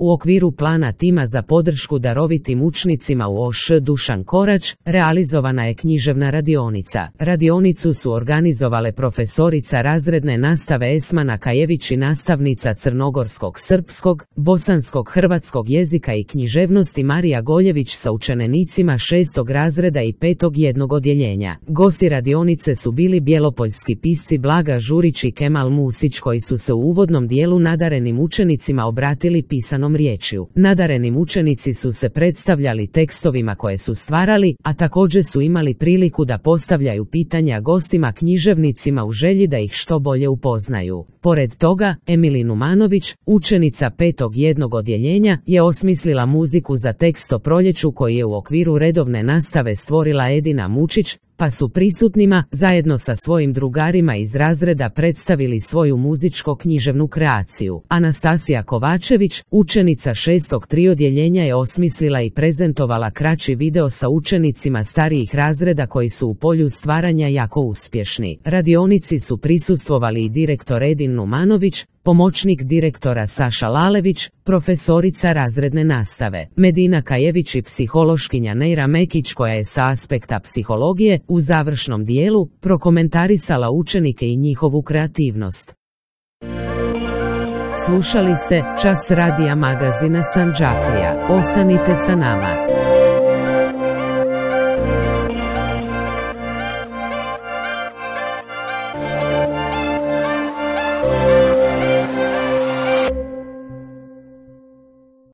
U okviru plana tima za podršku darovitim učenicima u OŠ Dušan Korać realizovana je književna radionica. Radionicu su organizovale profesorica razredne nastave Esmana Kajević i nastavnica crnogorskog, srpskog, bosanskog, hrvatskog jezika i književnosti Marija Goljević sa učenicima 6. razreda i 5. jednog odjeljenja. Gosti radionice su bili bjelopoljski pisci Blaga Žurić i Kemal Musić, koji su se u uvodnom dijelu nadarenim učenicima obratili pisanom riječju. Nadarenim učenici su se predstavljali tekstovima koje su stvarali, a također su imali priliku da postavljaju pitanja gostima književnicima u želji da ih što bolje upoznaju. Pored toga, Emili Numanović, učenica 5. jednog odjeljenja, je osmislila muziku za tekst o proljeću koji je u okviru redovne nastave stvorila Edina Mučić, pa su prisutnima, zajedno sa svojim drugarima iz razreda, predstavili svoju muzičko-književnu kreaciju. Anastasija Kovačević, učenica 6. 3 odjeljenja, je osmislila i prezentovala kraći video sa učenicima starijih razreda koji su u polju stvaranja jako uspješni. Radionici su prisustvovali i direktor Edin Numanović, pomoćnik direktora Saša Lalević, profesorica razredne nastave Medina Kajević i psihološkinja Neira Mekić, koja je sa aspekta psihologije u završnom dijelu prokomentarisala učenike i njihovu kreativnost. Slušali ste Čas radija magazina Sandžaklija. Ostanite sa nama.